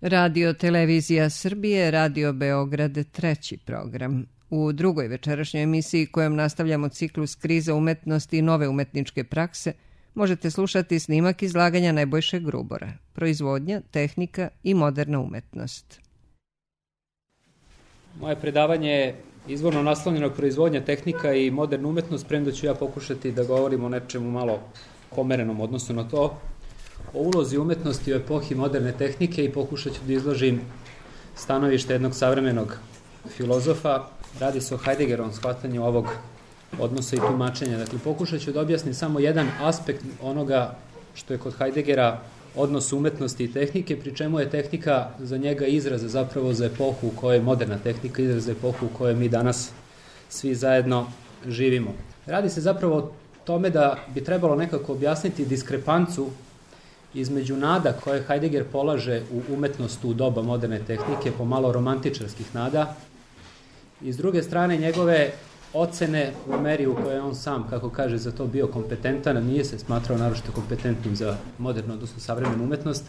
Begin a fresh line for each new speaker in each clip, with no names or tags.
Radio Televizija Srbije, Radio Beograd, treći program. U drugoj večerašnjoj emisiji kojom nastavljamo ciklus kriza umetnosti i nove umetničke prakse, možete slušati snimak izlaganja Nebojše Grubora, proizvodnja, tehnika i moderna umetnost.
Moje predavanje je izvorno naslonjeno proizvodnja, tehnika i moderna umetnost, premda ću ja pokušati da govorim o nečemu malo pomerenom odnosno na to, o ulozi umetnosti u epohi moderne tehnike i pokušat ću da izložim stanovište jednog savremenog filozofa. Radi se o Heideggerovom shvatanju ovog odnosa i tumačenja. Dakle, pokušat ću da objasnim samo jedan aspekt onoga što je kod Heideggera odnos umetnosti i tehnike, pri čemu je tehnika za njega izraz zapravo za epohu u kojoj je moderna tehnika, izraz za epohu u kojoj mi danas svi zajedno živimo. Radi se zapravo o tome da bi trebalo nekako objasniti diskrepancu između nada koje Heidegger polaže u umetnost u doba moderne tehnike, pomalo romantičarskih nada, i s druge strane njegove ocene u meri u kojoj on sam, kako kaže, za to bio kompetentan, a nije se smatrao naročito kompetentnim za modernu, odnosno savremenu umetnost,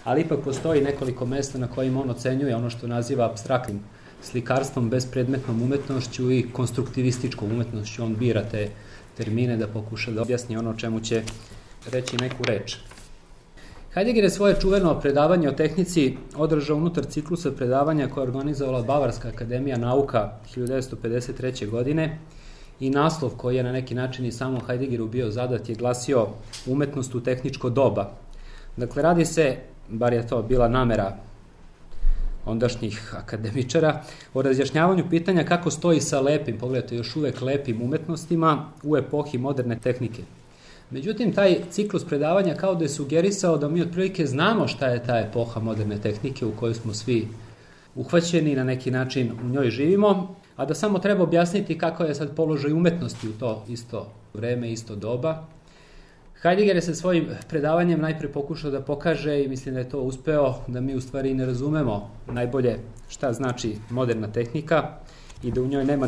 ali ipak postoji nekoliko mesta na kojim on ocenjuje ono što naziva apstraktnim slikarstvom, bespredmetnom umetnošću i konstruktivističkom umetnošću. On bira te termine da pokuša da objasni ono o čemu će reći neku reč. Heidegger je svoje čuveno predavanje o tehnici održao unutar ciklusa predavanja koje je organizovala Bavarska akademija nauka 1953. godine i naslov koji je na neki način i samom Heideggeru bio zadat je glasio Umetnost u tehničko doba. Dakle, radi se, bar je to bila namera ondašnjih akademičara, o razjašnjavanju pitanja kako stoji sa lepim, pogledajte, još uvek lepim umetnostima u epohi moderne tehnike. Međutim, taj ciklus predavanja kao da je sugerisao da mi otprilike znamo šta je ta epoha moderne tehnike u kojoj smo svi uhvaćeni i na neki način u njoj živimo, a da samo treba objasniti kako je sad položaj umetnosti u to isto vreme, isto doba. Heidegger je sa svojim predavanjem najpre pokušao da pokaže, i mislim da je to uspeo, da mi u stvari ne razumemo najbolje šta znači moderna tehnika i da u njoj nema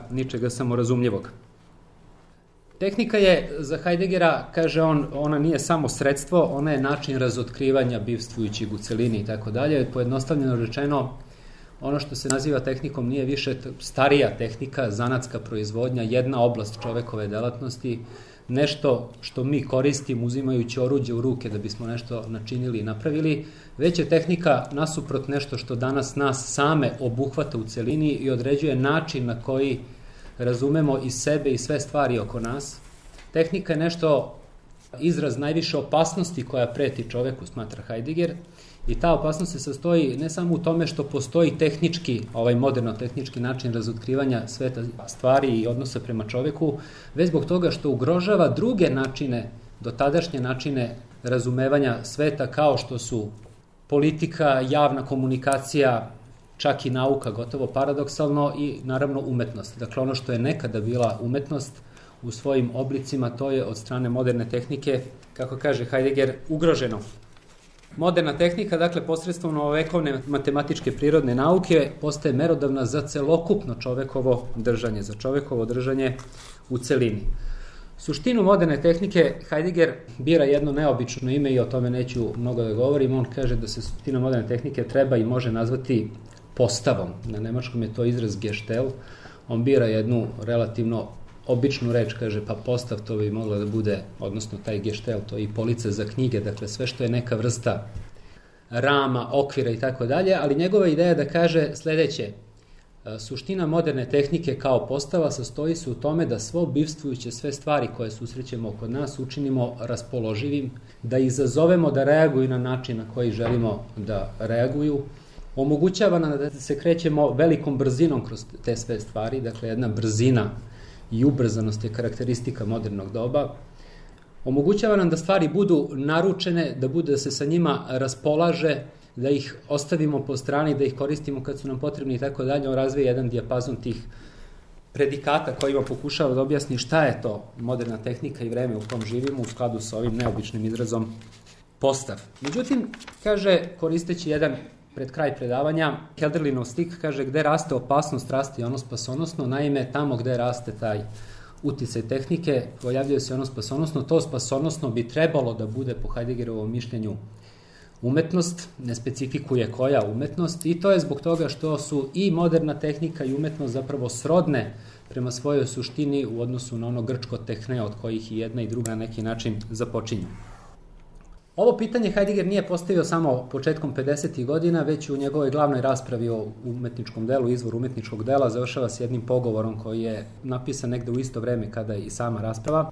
ničega samorazumljivog. Tehnika je za Heideggera, kaže on, ona nije samo sredstvo, ona je način razotkrivanja bivstvujućeg u celini i tako dalje. Pojednostavljeno rečeno, ono što se naziva tehnikom nije više starija tehnika, zanatska proizvodnja, jedna oblast čovekove delatnosti, nešto što mi koristimo uzimajući oruđe u ruke da bismo nešto načinili i napravili, već je tehnika nasuprot nešto što danas nas same obuhvata u celini i određuje način na koji razumemo i sebe i sve stvari oko nas. Tehnika je nešto, izraz najviše opasnosti koja preti čoveku, smatra Heidegger, i ta opasnost se sastoji ne samo u tome što postoji tehnički, moderno-tehnički način razotkrivanja sveta stvari i odnosa prema čoveku, već zbog toga što ugrožava druge načine, dotadašnje načine razumevanja sveta, kao što su politika, javna komunikacija, čak i nauka, gotovo paradoksalno, i naravno umetnost. Dakle, ono što je nekada bila umetnost u svojim oblicima, to je od strane moderne tehnike, kako kaže Heidegger, ugroženo. Moderna tehnika, dakle, posredstvom novovekovne matematičke prirodne nauke, postaje merodavna za celokupno čovekovo držanje, za čovekovo držanje u celini. Suštinu moderne tehnike Heidegger bira jedno neobično ime i o tome neću mnogo da govorim. On kaže da se suština moderne tehnike treba i može nazvati postavom. Na nemačkom je to izraz Gestell. On bira jednu relativno običnu reč, kaže, pa postav, to bi moglo da bude, odnosno taj Gestell, to je i polica za knjige, dakle sve što je neka vrsta rama, okvira i tako dalje, ali njegova ideja je da kaže sledeće: suština moderne tehnike kao postava sastoji se u tome da svo bivstvujuće sve stvari koje susrećemo kod nas učinimo raspoloživim, da izazovemo da reaguju na način na koji želimo da reaguju, omogućava nam da se krećemo velikom brzinom kroz te sve stvari, dakle jedna brzina i ubrzanost je karakteristika modernog doba, omogućava nam da stvari budu naručene, da se sa njima raspolaže, da ih ostavimo po strani, da ih koristimo kad su nam potrebni i tako dalje. On razvije jedan dijapazon tih predikata kojima pokušava da objasni šta je to moderna tehnika i vreme u kom živimo u skladu sa ovim neobičnim izrazom postav. Međutim, kaže, koristeći jedan pred kraj predavanja, Hölderlinov stik, kaže, gde raste opasnost, raste i ono spasonosno. Naime, tamo gde raste taj uticaj tehnike, pojavljuje se ono spasonosno. To spasonosno bi trebalo da bude, po Heideggerovom mišljenju, umetnost, ne specifikuje koja umetnost i to je zbog toga što su i moderna tehnika i umetnost zapravo srodne prema svojoj suštini u odnosu na ono grčko tehne od kojih i jedna i druga na neki način započinju. Ovo pitanje Heidegger nije postavio samo početkom 50. godina, već u njegovoj glavnoj raspravi o umetničkom delu, izvor umetničkog dela, završava s jednim pogovorom koji je napisan negde u isto vreme kada i sama rasprava.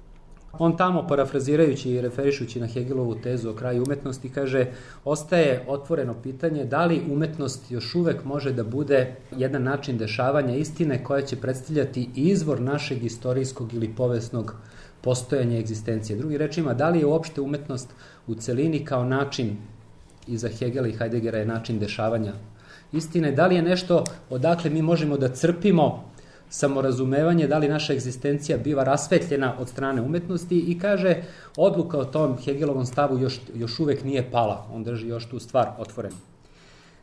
On tamo, parafrazirajući i referišući na Hegelovu tezu o kraju umetnosti, kaže: ostaje otvoreno pitanje da li umetnost još uvek može da bude jedan način dešavanja istine koja će predstavljati izvor našeg istorijskog ili povesnog postojanja egzistencije. Drugim rečima, da li je uopšte umetnost u celini kao način, i za Hegela i Heideggera je način dešavanja istine, da li je nešto odakle mi možemo da crpimo samorazumevanje, da li naša egzistencija biva rasvetljena od strane umetnosti, i kaže odluka o tom Hegelovom stavu još uvek nije pala, on drži još tu stvar otvorenu.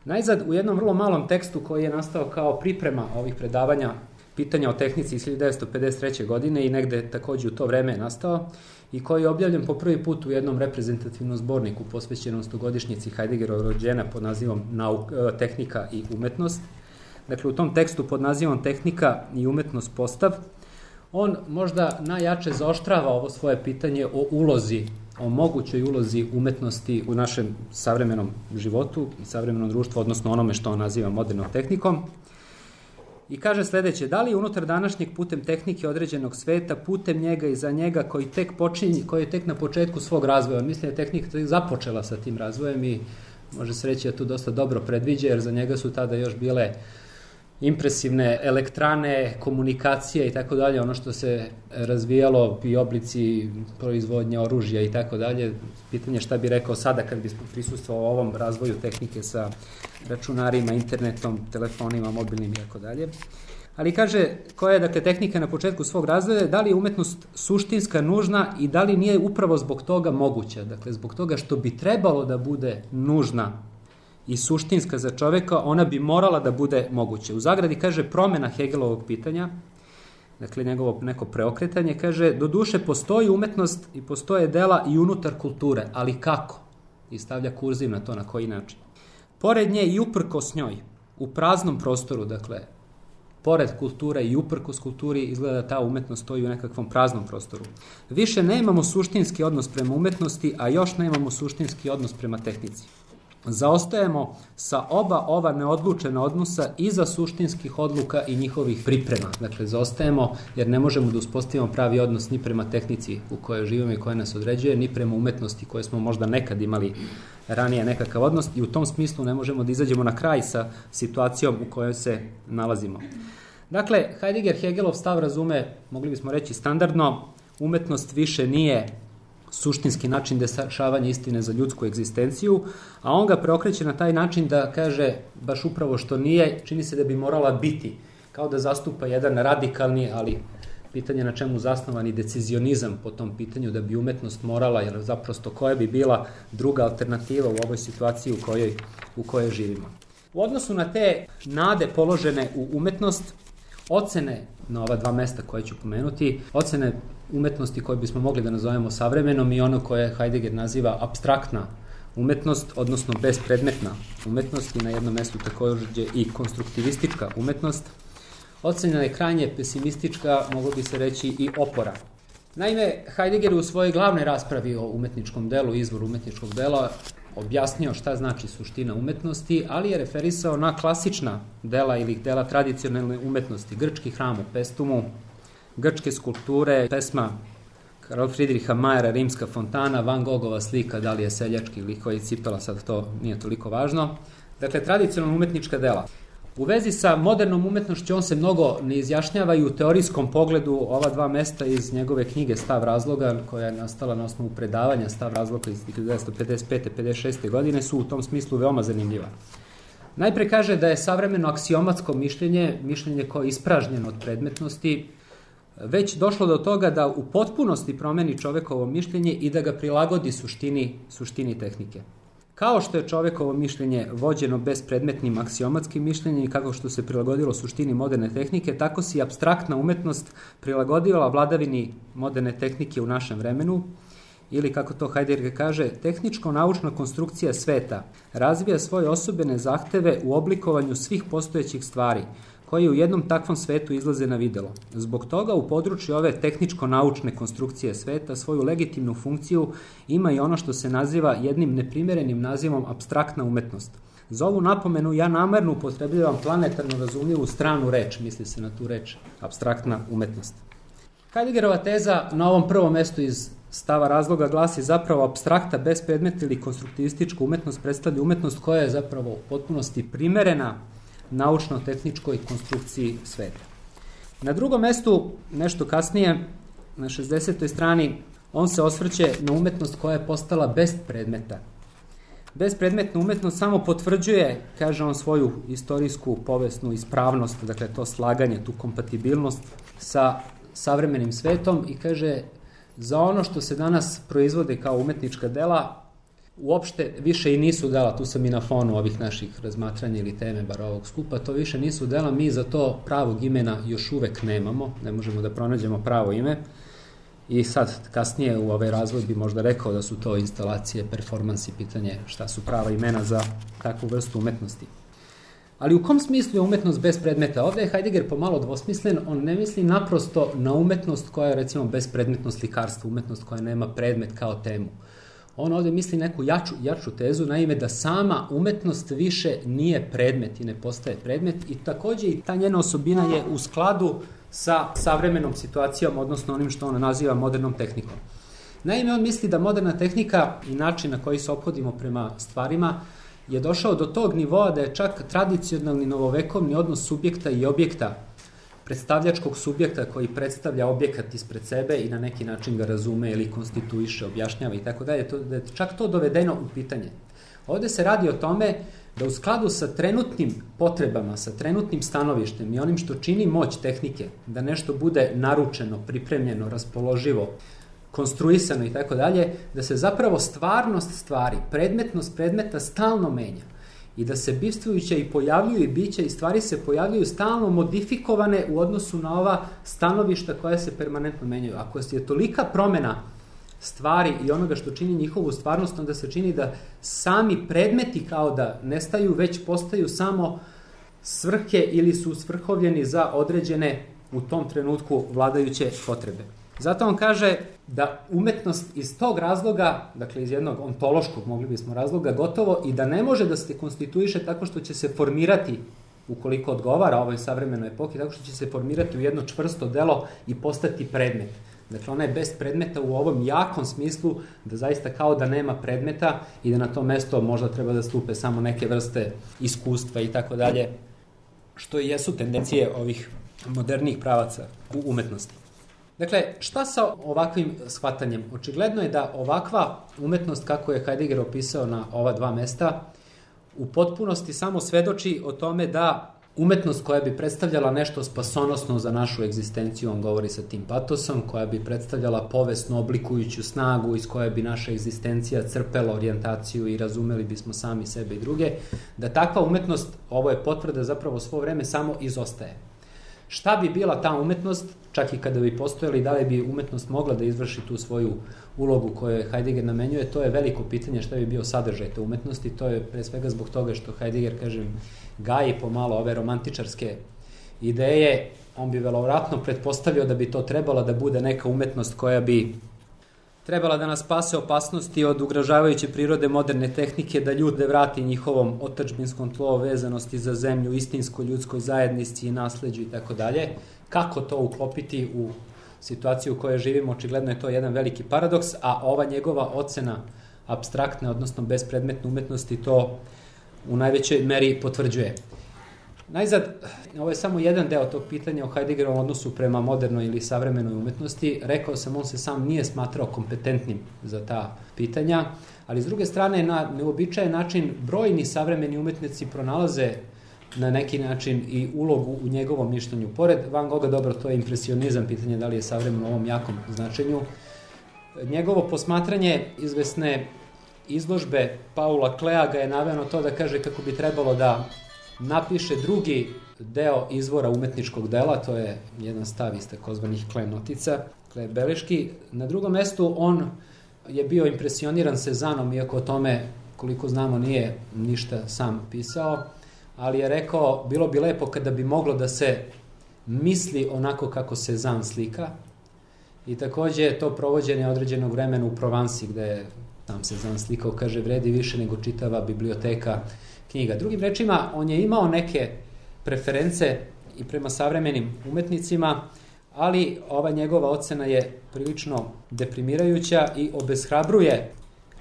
Najzad, u jednom vrlo malom tekstu koji je nastao kao priprema ovih predavanja pitanja o tehnici iz 1953. godine i negde takođe u to vreme je nastao i koji je objavljen po prvi put u jednom reprezentativnom zborniku posvećenom 100-godišnjici Heideggerova rođenja pod nazivom Tehnika i umetnost. Dakle, u tom tekstu pod nazivom Tehnika i umetnost postav, on možda najjače zaoštrava ovo svoje pitanje o ulozi, o mogućoj ulozi umetnosti u našem savremenom životu i savremenom društvu, odnosno onome što on naziva modernom tehnikom. I kaže sledeće: da li unutar današnjeg putem tehnike određenog sveta, putem njega i za njega koji je tek na početku svog razvoja, mislim da je tehnika započela sa tim razvojem i može se reći da tu dosta dobro predviđa, jer za njega su tada još bile impresivne elektrane, komunikacije i tako dalje, ono što se razvijalo i oblici proizvodnje oružja i tako dalje. Pitanje šta bi rekao sada kad bi prisustvovao ovom razvoju tehnike sa računarima, internetom, telefonima, mobilnim i tako dalje. Ali kaže, koja je dakle tehnika na početku svog razvoja, da li je umetnost suštinska, nužna i da li nije upravo zbog toga moguća, dakle zbog toga što bi trebalo da bude nužna i suštinska za čoveka, ona bi morala da bude moguća. U zagradi kaže promena Hegelovog pitanja, dakle njegovo neko preokretanje, kaže: doduše postoji umetnost i postoje dela i unutar kulture, ali kako? I stavlja kurziv na to, na koji način. Pored nje i uprkos njoj, u praznom prostoru, dakle, pored kulture i uprkos kulturi, izgleda da ta umetnost stoji u nekakvom praznom prostoru. Više nemamo suštinski odnos prema umetnosti, a još nemamo suštinski odnos prema tehnici. Zaostajemo sa oba ova neodlučena odnosa iza suštinskih odluka i njihovih priprema. Dakle, zaostajemo jer ne možemo da uspostavimo pravi odnos ni prema tehnici u kojoj živimo i koja nas određuje, ni prema umetnosti koje smo možda nekad imali ranije nekakav odnos, i u tom smislu ne možemo da izađemo na kraj sa situacijom u kojoj se nalazimo. Dakle, Heidegger Hegelov stav razume, mogli bismo reći standardno, umetnost više nije suštinski način dešavanja istine za ljudsku egzistenciju, a on ga preokreće na taj način da kaže baš upravo što nije, čini se da bi morala biti, kao da zastupa jedan radikalni, ali pitanje na čemu zasnovani decizionizam po tom pitanju, da bi umetnost morala, jer zaprosto koja bi bila druga alternativa u ovoj situaciji u kojoj živimo. U odnosu na te nade položene u umetnost, ocene na ova dva mesta koje ću pomenuti, ocene umetnosti koje bismo mogli da nazovemo savremenom i ono koje Heidegger naziva apstraktna umetnost, odnosno bespredmetna umetnost, i na jednom mestu takođe i konstruktivistička umetnost, ocena je krajnje pesimistička, moglo bi se reći i opora. Naime, Heidegger u svojoj glavnoj raspravi o umetničkom delu, izvoru umetničkog dela, objasnio šta znači suština umetnosti, ali je referisao na klasična dela ili dela tradicionalne umetnosti, grčki hram u Pestumu, grčke skulpture, pesma Karl Friedricha Mayera, Rimska fontana, Van Gogova slika, da li je seljački ili koji cipela, sad to nije toliko važno. Dakle, tradicionalna umetnička dela. U vezi sa modernom umetnošću on se mnogo ne izjašnjava i u teorijskom pogledu ova dva mesta iz njegove knjige Stav razloga, koja je nastala na osnovu predavanja Stav razloga iz 1955-56. godine, su u tom smislu veoma zanimljiva. Najpre kaže da je savremeno aksiomatsko mišljenje koje je ispražnjeno od predmetnosti, već došlo do toga da u potpunosti promeni čovekovo mišljenje i da ga prilagodi suštini tehnike. Kao što je čovekovo mišljenje vođeno bespredmetnim aksiomatskim mišljenjem i kako što se prilagodilo suštini moderne tehnike, tako se i apstraktna umetnost prilagodila vladavini moderne tehnike u našem vremenu ili kako to Heidegger kaže, tehničko-naučna konstrukcija sveta razvija svoje osobene zahteve u oblikovanju svih postojećih stvari, koji u jednom takvom svetu izlaze na videlo. Zbog toga u području ove tehničko-naučne konstrukcije sveta svoju legitimnu funkciju ima i ono što se naziva jednim neprimerenim nazivom apstraktna umetnost. Za ovu napomenu ja namerno upotrebljavam planetarno razumljivu stranu reč, misli se na tu reč, apstraktna umetnost. Heideggerova teza na ovom prvom mestu iz stava razloga glasi zapravo apstrakta, bespredmetna ili konstruktivistička umetnost predstavlja umetnost koja je zapravo u potpunosti primerena naučno-tehničkoj konstrukciji sveta. Na drugom mestu, nešto kasnije, na 60. strani, on se osvrće na umetnost koja je postala bez predmeta. Bespredmetna umetnost samo potvrđuje, kaže on, svoju istorijsku povijesnu ispravnost, dakle to slaganje, tu kompatibilnost sa savremenim svetom i kaže za ono što se danas proizvode kao umetnička dela, uopšte više i nisu dela, tu sam i na fonu ovih naših razmatranja ili teme, bar ovog skupa, to više nisu dela, mi za to pravog imena još uvek nemamo, ne možemo da pronađemo pravo ime i sad kasnije u ovaj razvoj bi možda rekao da su to instalacije, performansi, pitanje šta su prava imena za takvu vrstu umetnosti. Ali u kom smislu je umetnost bez predmeta? Ovde je Heidegger pomalo dvosmislen, on ne misli naprosto na umetnost koja je recimo bespredmetno slikarstvo, umetnost koja nema predmet kao temu. On ovde misli neku jaču tezu, naime da sama umetnost više nije predmet i ne postaje predmet i takođe i ta njena osobina je u skladu sa savremenom situacijom, odnosno onim što on naziva modernom tehnikom. Naime, on misli da moderna tehnika i način na koji se ophodimo prema stvarima je došao do tog nivoa da je čak tradicionalni novovekovni odnos subjekta i objekta, predstavljačkog subjekta koji predstavlja objekat ispred sebe i na neki način ga razume ili konstituiše, objašnjava i tako dalje, da je čak to dovedeno u pitanje. Ovde se radi o tome da u skladu sa trenutnim potrebama, sa trenutnim stanovištem i onim što čini moć tehnike, da nešto bude naručeno, pripremljeno, raspoloživo, konstruisano i tako dalje, da se zapravo stvarnost stvari, predmetnost predmeta stalno menja i da se bivstvujuća i pojavljuju i bića i stvari se pojavljuju stalno modifikovane u odnosu na ova stanovišta koja se permanentno menjaju. Ako je tolika promena stvari i onoga što čini njihovu stvarnost, onda se čini da sami predmeti kao da nestaju, već postaju samo svrhe ili su svrhovljeni za određene u tom trenutku vladajuće potrebe. Zato on kaže da umetnost iz tog razloga, dakle iz jednog ontološkog, mogli bismo razloga, gotovo i da ne može da se konstituiše tako što će se formirati, ukoliko odgovara ovoj savremenoj epohi, tako što će se formirati u jedno čvrsto delo i postati predmet. Dakle, ona je bez predmeta u ovom jakom smislu da zaista kao da nema predmeta i da na to mesto možda treba da stupe samo neke vrste iskustva i tako dalje, što i jesu tendencije ovih modernijih pravaca u umetnosti. Dakle, šta sa ovakvim shvatanjem? Očigledno je da ovakva umetnost, kako je Heidegger opisao na ova dva mesta, u potpunosti samo svedoči o tome da umetnost koja bi predstavljala nešto spasonosno za našu egzistenciju, on govori sa tim patosom, koja bi predstavljala povesno oblikujuću snagu iz koje bi naša egzistencija crpela orijentaciju i razumeli bismo sami sebe i druge, da takva umetnost, ovo je potvrda, zapravo svo vreme samo izostaje. Šta bi bila ta umetnost, čak i kada bi postojali, da li bi umetnost mogla da izvrši tu svoju ulogu koju Heidegger namenjuje, to je veliko pitanje šta bi bio sadržaj te umetnosti, to je pre svega zbog toga što Heidegger, kažem, gaji pomalo ove romantičarske ideje, on bi verovatno pretpostavio da bi to trebala da bude neka umetnost koja bi trebala da nas spase opasnosti od ugrožavajuće prirode moderne tehnike, da ljude vrati njihovom otadžbinskom tlu, vezanosti za zemlju, istinskoj ljudskoj zajednici i nasleđu i tako dalje. Kako to uklopiti u situaciju u kojoj živimo, očigledno je to jedan veliki paradoks, a ova njegova ocena apstraktne, odnosno bespredmetne umetnosti to u najvećoj meri potvrđuje. Najzad, ovo je samo jedan deo tog pitanja o Heideggerovom odnosu prema modernoj ili savremenoj umetnosti. Rekao sam, on se sam nije smatrao kompetentnim za ta pitanja, ali s druge strane, na neobičajen način, brojni savremeni umetnici pronalaze na neki način i ulogu u njegovom mišljenju. Pored Van Gogha, dobro, to je impresionizam, pitanje da li je savremen u ovom jakom značenju. Njegovo posmatranje izvesne izložbe Paula Klea ga je naveo na to da kaže kako bi trebalo da napiše drugi deo izvora umetničkog dela, to je jedan stav iz takozvanih Kle notica, Kle beleški. Na drugom mestu on je bio impresioniran Cezanom, iako o tome, koliko znamo, nije ništa sam pisao, ali je rekao, bilo bi lepo kada bi moglo da se misli onako kako Cezanne slika. I takođe je to provođenje određenog vremena u Provansi, gde je tam Cezanne slikao, kaže, vredi više nego čitava biblioteka knjiga. Drugim rečima, on je imao neke preference i prema savremenim umetnicima, ali ova njegova ocena je prilično deprimirajuća i obeshrabruje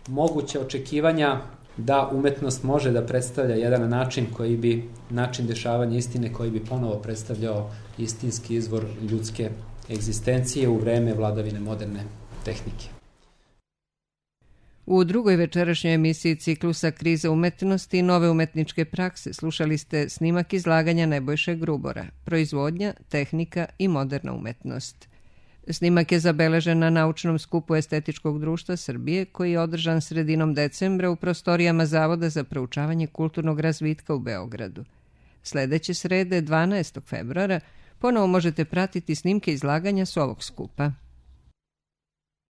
moguće očekivanja da umetnost može da predstavlja jedan način dešavanja istine koji bi ponovo predstavljao istinski izvor ljudske egzistencije u vreme vladavine moderne tehnike.
U drugoj večerašnjoj emisiji ciklusa Kriza umetnosti i nove umetničke prakse slušali ste snimak izlaganja Nebojše Grubora, proizvodnja, tehnika i moderna umetnost. Snimak je zabeležen na naučnom skupu Estetičkog društva Srbije koji je održan sredinom decembra u prostorijama Zavoda za proučavanje kulturnog razvitka u Beogradu. Sledeće srede, 12. februara, ponovo možete pratiti snimke izlaganja s ovog skupa.